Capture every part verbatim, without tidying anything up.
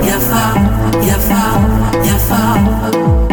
Yafa, yafa, yafa.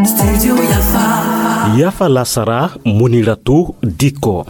Studio yafa. Yafa lasara, Muniratu Dikko.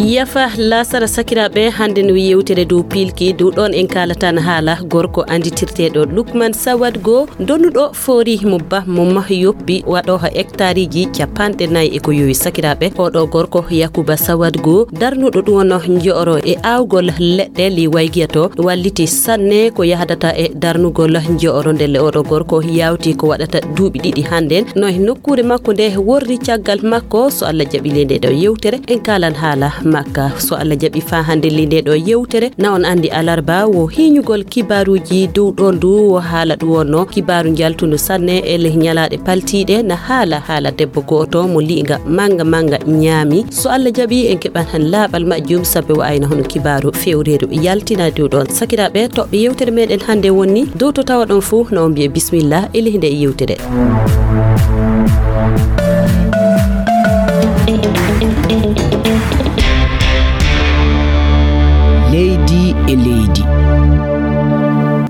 Yafa lasara sakiraaɓe, hannde no yewtere dow piilki, dow ɗoon en kaalatan haala gorko annditirteeɗo Lukman Sawad Go, donuɗo foori mo ba mo mah yoppi, waɗooha hectareji capanɗe nayi e ko yowi sakiraaɓe. Oɗo gorko Yakuba Sawad Go, darnuɗo ɗum wonno njo'oro e aawgol leɗɗe li waygiya to, walliti sanne ko yahdata e darnugol njo'oro. Ndelle oɗo gorko yawti ko waɗata duuɓi ɗiɗi hannden. No e nokkuure makko nde worri caggal makko, so Allah jaɓi le nde ɗo yewtere, en kaalan haala makka. So Allah jaɓi faa hannde le nde ɗo yewtere, na on anndi alarba wo hiiñugol kibaaruuji dow ɗoon ndu wo haala ɗum wonno kibaaru njaltundu sanne e leh ñalaaɗe paltiiɗe, na haala haala debbo gooto mo lii'nga mannga mannga ñaami. So Allah jaɓi, en keɓan han laaɓal majjum, sabe wo ayna hono kibaaru fewreeru yaltina dow ɗoon. Sakiraaɓe, toɓɓe yewtere meɗen hannde wonni dow to tawa ɗon fuu, no on mbiye bismillah e leh nde yewtere. Leydi e leydi.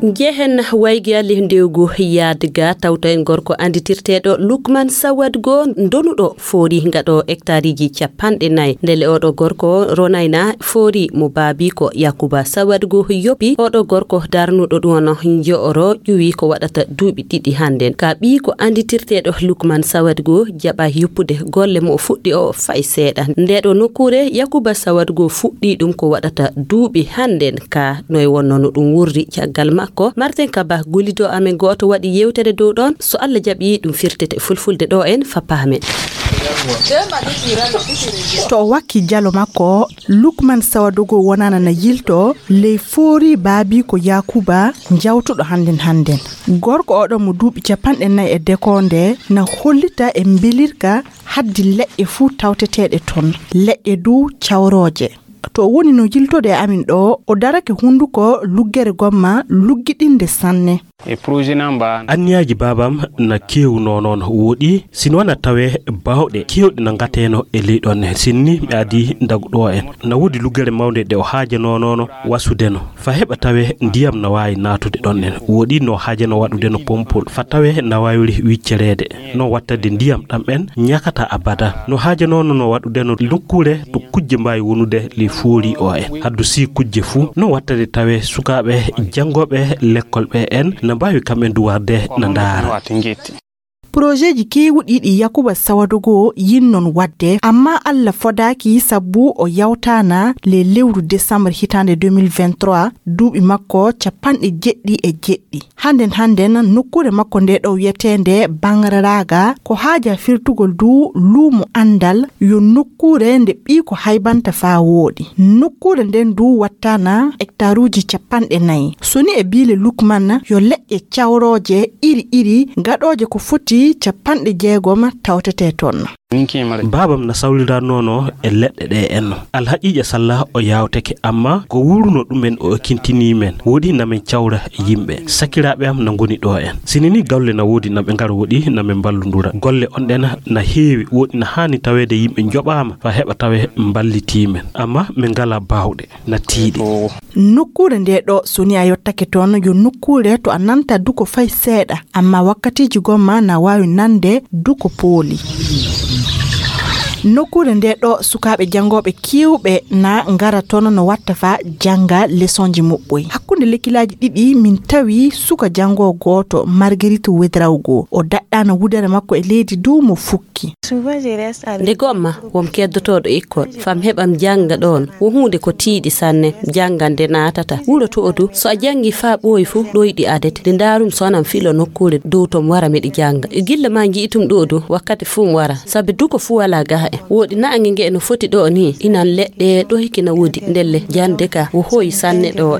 Njehen waygiya leh ndewgu yaadga, tawta en gorko annditirteeɗo Lukman Sawad Go, donuɗo foori ngaɗo hectareji capanɗe nayi. Ndelle oɗo gorko ronayna foori mo baabiiko Yakuba Sawad Go yoppi. Oɗo gorko darnuɗo ɗum wonno njo'oro ƴuwi ko waɗata duuɓi ɗiɗi hannden. Ka ɓiiko annditirteeɗo Lukman Sawad Go jaɓa yoppude golle mo o fuɗɗi o fay seeɗa. Nde ɗo nokkuure Yakuba Sawad Go fuɗɗi ɗum ko waɗata duuɓi hannden. Ka no e wonno no ɗum wurri caggal makko. Martin Kaba, gollido amen gooto waɗi yewtere dow ɗoon. So Allah jaɓi, ɗum firtete fulfulde ɗo en fa paamen. To o wakki jalo makko, Lukman Sawadogo wonana na yilto ley foori baabiiko Yaakuba jawtuɗo hannden hannden. Gorko oɗo mo duuɓi capanɗe nayi e dekoonde na hollita e mbelirka haddi leɗɗe fuu tawteteeɗe toon, leɗɗe dow cawrooje. To o woni no yiltode e amin ɗo, o darake hunnduko luggere gomma luggiɗinde sanne. E projet na mba. Anniyaaji baabam na keewnoo noon wooɗi, sino na tawee baawɗe keewɗe na ngateeno e ley ɗoon ne. Sinni mi adii ndagu ɗo en. Na woodi luggere mawnde nde o haajanoo noon wasudeno. Fa heɓa tawee ndiyam na waawi naatude ɗoon en. Wooɗi no haajano waɗudeno pompol. Fa tawee na waawiri wiccereede. No wattade ndiyam ɗam en ñakata abada. No haajanoo no waɗudeno nokkuure to kujje mbaawi wonude ley foori o en. Haddu si kujje fuu. No wattade tawee sukaaɓe janngooɓe lekkol ɓe en na mbaawi kam en du warde na ndaara. Projeeji keewuɗi ɗi Yakuba Sawadogo yinnon waɗde, amma Allah fodaaki sabu o yawtaana le lewru décembre hitaande deux mille vingt-trois, duuɓi makko capanɗe jeɗɗi e jeɗɗi. Hannden hannden nokkuure makko nde ɗo wiyeteende Bangararaga ko haaja firtugol du luumo anndal yo nokkuure nde ɓiiko haybanta faa wooɗi. Nokkuure nden du wattaana hectaruuji capanɗe nayi. Soni e biile Lukman yo leɗɗe cawrooje iri iri gaɗooje ko foti capanɗe jeegom tawtete toon. Baabam na sawliranoono e leɗɗe ɗe en. Alhaqiiqa salla o yawtake, amma ko wuuruno ɗumen o kintinii men. Wooɗi na men cawra yimɓe. Sakiraaɓe am na ngoni ɗo en. Sini ni galle na woodi na ɓe ngara wooɗi na men mballundura. Golle on ɗen na heewi wooɗi na haani taweede yimɓe njoɓaama fa heɓa tawe mballitii men. Amma min ngalaa baawɗe na tiiɗi. Nokkuure nde ɗo, so ni a yottake toon, yo nokkuure to a nanta duko fay seeɗa, amma wakkatiiji gomma na waawi nande duko pooli. Nokkuure nde ɗo, sukaaɓe janngooɓe keewɓe na ngara toon no watta fa jannga lesonji muɓɓoy. Hakkunde lekkilaaji ɗiɗi, min tawi suka janngoo gooto, Marguerite Wedraugo. O daɗɗaano wudere makko e leydi du mo fukki. Nde gomma, won keddotooɗo ekkol, fam heɓam jannga ɗoon, wo huunde ko tiiɗi sanne, janngande naatata. Wuro to odu, so a janngi faa ɓooyi fu, ɗoyɗi adete. Nde ndaarum so anan filo nokkuure dow tom wara miɗi jannga. E gilla ma nji'itum ɗo du, wakkati fuu mi wara. Sabi duko fuu walaa gaha en. Wooɗi naange nge no foti ɗo ni, inan leɗɗe ɗo hiki na woodi. Ndelle, jannde ka, wo hooyi sanne ɗo.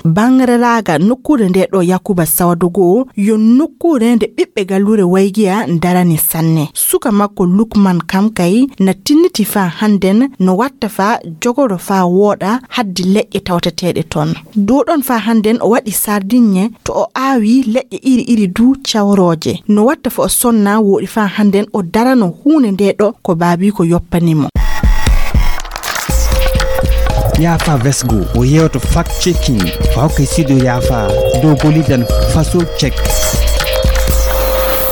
Bangreraga nokkuure nde ɗo Yakuba Sawadogo, yo nokkuure nde ɓiɓɓe galluure Waygiya darani sanne. Suka makko Lukman kam kay na tinniti faa hannden no watta faa jogoro faa wooɗa haddi leƴƴe tawteteeɗe toon. Dow ɗon faa hannden o waɗi sardiŋŋe to o aawi leƴƴe iri iri du cawrooje. No watta faa o sonna wooɗi faa hannden o darano huunde nde ɗo ko baabiiko yoppani mo. Yaafa Vesgo, o yeewto fact checking, o hokka e studio Yaafa dow gollidan Faso Check.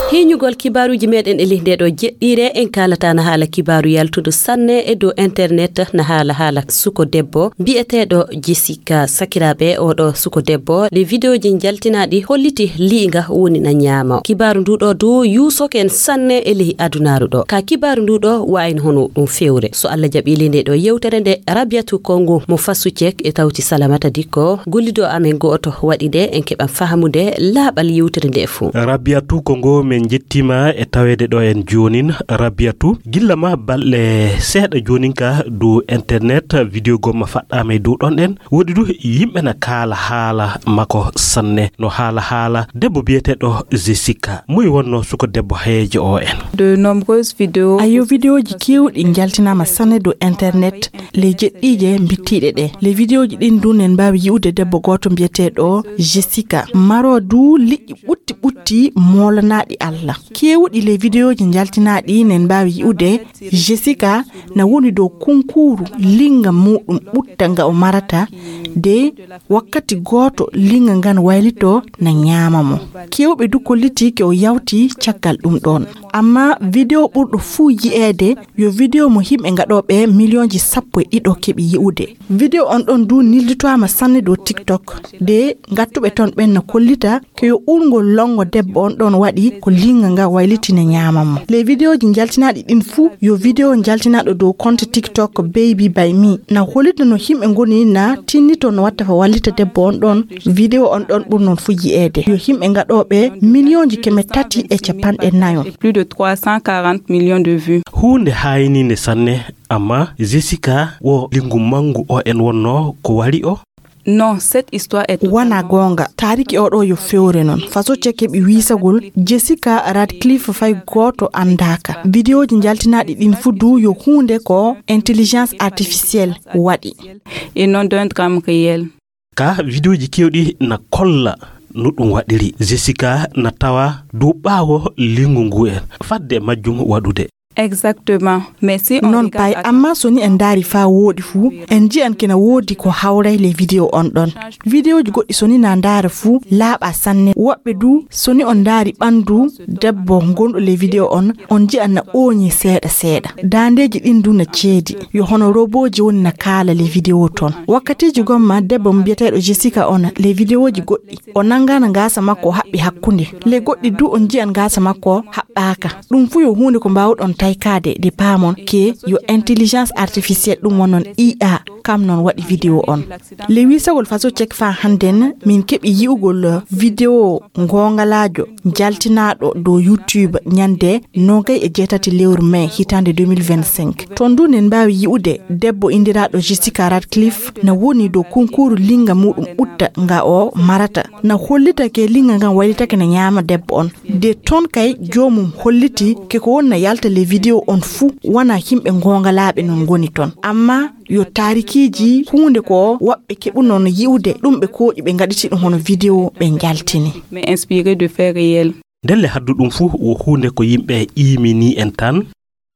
Hiiñugol kibaaruuji meɗen e ley nde ɗo jeɗɗiire, en kaalata na haala kibaaru yaltudu sanne e dow internet, na haala haala suko debbo biyeteeɗo Jessica. Sakiraaɓe, oɗo suko debbo, le videoji jaltinaaɗi holliti liiga woni na ñaama. Kibaaru ndu ɗo du yuusoke en sanne e ley adunaaru ɗo. Ka kibaaru ndu ɗo waayno hono ɗum fewre. So Allah jaɓi le nde ɗo yewtere nde, Rabiatu Kongo mo Fasu Cek e tawti Salamata Dikko, gollido amen gooto waɗi nde, en keɓan fahamude laaɓal yewtere nde fuu. Rabiatu Kongo, men njettiima e taweede ɗo en joonin. Rabiatu, gilla ma balɗe seeɗa joonin ka dow internet, video gomma faɗɗaama e dow ɗon ɗen. Woodi du yimɓe na kaala haala makko sanne, no haala haala debbo biyeteeɗo Jessica. Moy wonno suko debbo heejo o en? De nombreuses vidéos. Ayo, videoji kewɗi jaltinaama sanne dow internet, le jeɗɗiije mbittiiɗe ɗe. Le videoji ɗin du nen mbaawi yi'ude debbo gooto mbiyeteeɗo Jessica, maro du liƴƴi ɓutti ɓutti moolanaaɗi Allah. Kewɗi le videoji jaltinaaɗi nen mbaawi yi'ude Jessica na woni dow kunkuuru linga muɗum ɓutta nga o marata, de wakkati gooto linga ngan waylito na ñaama mo. Kewɓe du kolliti ke o yawti caggal ɗum ɗon. Amma video ɓurɗo fuu yi'eede yo video mo himɓe ngaɗooɓe miliyonji sappo e ɗiɗo keɓi yi'ude. Video on ɗon du nilditoama sanne dow TikTok. De ngattuɓe ton ɓen na kollita ke yo ɓurngol longo debbo on ɗon waɗi ko linga nga wayliti na ñaama mo. Le videoji jaltinaaɗi ɗin fuu yo video jaltinaaɗo dow compte TikTok Baby by Me na hollita no himɓe ngoni na tinnito no watta fa wallita debbo on ɗon. Video on ɗon ɓurnon fuu yi'eede yo himɓe ngaɗooɓe miliyonji keme tati e capanɗe nayo. Plus de trois cent quarante millions de vues. Huunde haayniinde sanne, amma Jessica wo lingu mangu o en wonno ko wari o? Non, cette histoire est totalement... Wana goonga, taariki oɗo yo fewre non. Faso cek heɓi wiisagol Jessica Radcliffe fay gooto anndaaka. Videoji jaltinaaɗi ɗin fuu du yo huunde ko intelligence artificielle waɗi. Et non d'un drame réel. Ka videoji kewɗi na kolla no ɗum waɗiri. Jessica na tawa dow ɓaawo lingu ngu en. Fadde majjum waɗude. Exactement. Mais si on... Non regarde pay, amma so ni en ndaari faa wooɗi fuu, en nji'an kina woodi ko hawray le video on ɗon. Videoji goɗɗi so ni na ndaara fuu laaɓa sanne. Woɓɓe du, so ni on ndaari ɓandu debbo gonɗo le video on, on nji'an na ooñi seeɗa seeɗa. Daandeeji ɗin du na ceedi. Yo hono roboji woni na kaala le video ton. Wakkatiiji gomma debbo mo biyeteeɗo Jessica on, le videoji goɗɗi o nangana ngaasa makko o haɓɓi hakkunde. Le goɗɗi du on nji'an ngaasa makko haɓɓaaka. Ɗum fuu yo huunde ko mbaawɗon taykaade de paamon ke yo intelligence artificielle ɗum wonnon I A kam non waɗi video on. Le wiisagol faso cek faa hannden min keɓi yi'ugol video ngoongalaajo jaltinaaɗo dow YouTube ñande nogay e jeetati lewru mai hitaande deux mille vingt-cinq. Ton du nen mbaawi yi'ude debbo indiraaɗo Jessica Radcliffe na woni dow kunkuuru linga muuɗum ɓutta nga o marata. Na hollita ke linga ngan waylitake na ñaama debbo on. De ton kay joomum holliti ke ko wonna yalta le video on fuu wana himɓe ngoongalaaɓe non ngoni ton. Amma yo taarikiiji huunde ko woɓɓe keɓuno no yi'ude ɗum ɓe kooƴi ɓe ngaɗiti ɗum hono video ɓe njaltini. Mais inspiré de faits réels. Ndelle haddu ɗum fuu wo huunde ko yimɓe ƴiimini en tan.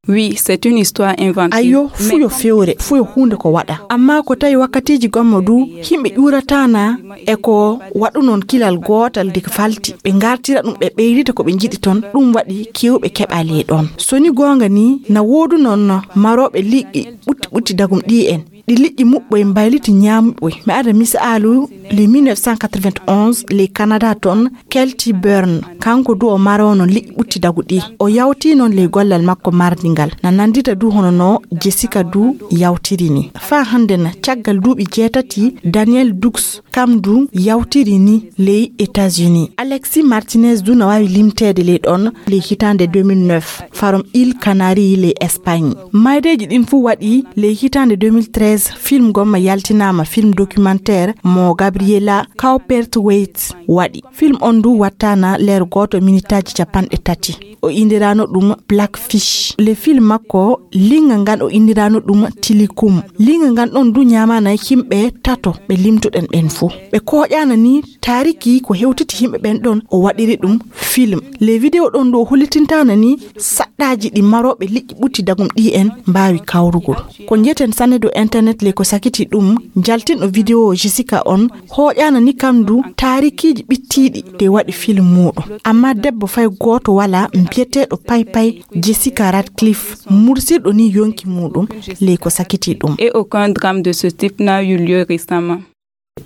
Oui, c'est une histoire inventée. Ayo, fuu yo fewre, fuu yo huunde ko waɗa. Amma ko tawi wakkatiiji gommo du, himɓe ƴuurataana e ko waɗunon kilal gootal de falti. Ɓe ngartira ɗum, ɓe ɓeyrita ko ɓe njiɗi ton, ɗum waɗi kewɓe keɓali ɗon. So ni goonga ni, na woodunon marooɓe liƴƴi ɓutti ɓutti dagum ɗi en. Ɗi liƴƴi muɓɓoy mbayliti ñaamuɓɓoy. Mi ada misaalu, le mille neuf cent quatre-vingt-onze, le Canada ton, Kelty Byrne, kanko du o maroono liƴƴi ɓutti dagu ɗi. O yawti noon le gollal makko mardi ngal. Na nandita du hono no Jessica du yawtiri ni. Faa hannde na caggal duuɓi jeetati, Danielle Dukes, kam du yawtiri ni ley États-Unis. Alexis Martinez du na waawi limteede ley ɗon ley hitaande deux mille neuf, farom Îles Canaries ley Espagne. Maydeeji ɗin fuu waɗi ley hitaande deux mille treize, film gomma yaltinaama, film documentaire mo Gabriela Cowperthwaite waɗi. Film on du wattaana leer gooto minitaaji capanɗe tati. O indirano ɗum Blackfish. Le film makko, linga ngan o indirano ɗum Tilikum. Linga ngan ɗon du ñaamana himɓe tato ɓe limtuɗen ɓen fuu. Ɓe kooƴana ni taariki ko hewtiti himɓe ɓen ɗon o waɗiri ɗum film. Le video ɗon du o hollitintana ni saɗɗaaji ɗi marooɓe liƴƴi ɓutti dagum ɗi en mbaawi kawrugol. Ko njeten sanne do internet. Net ley ko sakiti ɗum, jaltinɗo vidéo Jessica on hooƴaana ni kam du taarikiiji ɓittiiɗi de waɗi film muuɗum. Amma debbo fay gooto walaa mbiyeteeɗo paypay Jessica Radcliffe mursirɗo ni yonki muuɗum ley ko sakiti ɗum. Et aucun drame de ce type n'a eu lieu récemment.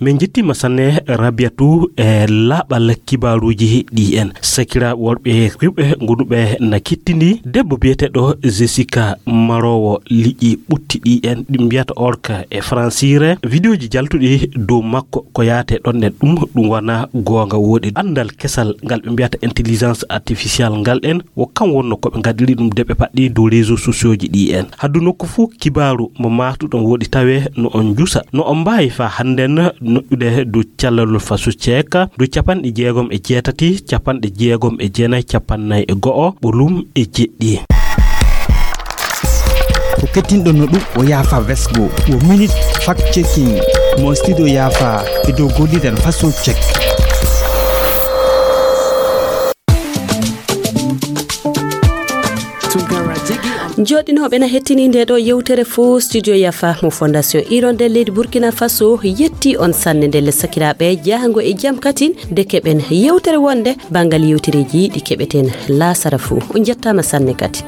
Min njettiima sanne Rabiatu e laaɓal kibaaruuji ɗi en. Sakiraaɓe worɓe rewɓe gonuɓe na kettindi debbo biyeteeɗo Jessica maroowo liƴƴi ɓutti ɗi en ɗi mbiyata orka e fransiire. Vidéoji jaltuɗi dow makko ko yaate ɗon nden ɗum ɗum wona goonga woɗi. Anndal kesal ngal ɓe mbiyata intelligence artificielle ngal en wo kam wonno ko ɓe ngaɗiri ɗum de ɓe paɗɗi dow réseaux sociaux ji ɗi en. Haddu nokku fuu kibaaru mo maatuɗon woɗi tawe no on njusa. No on mbaawi faa hannden noƴƴude dow callalol faso ceeka dow capanɗe jeegom e jeetati, capanɗe jeegom e jeenayi, capannay e go'o, ɓolum e jeɗɗi. Ko kettinɗon no ɗum o yaafa vesgo, wo minute fact checking mo studio yaafa e dow golliren faso check. Jooɗinooɓe na hettini nde ɗo yewtere fo studio yafa mo fondation iron nder leydi burkina faso yetti on sanne ndelle sakiraaɓe jahango e jam katin de keɓen yewtere wonde banngal yewtereeji ɗi keɓeten laasara fo. On njettaama sanne kadi.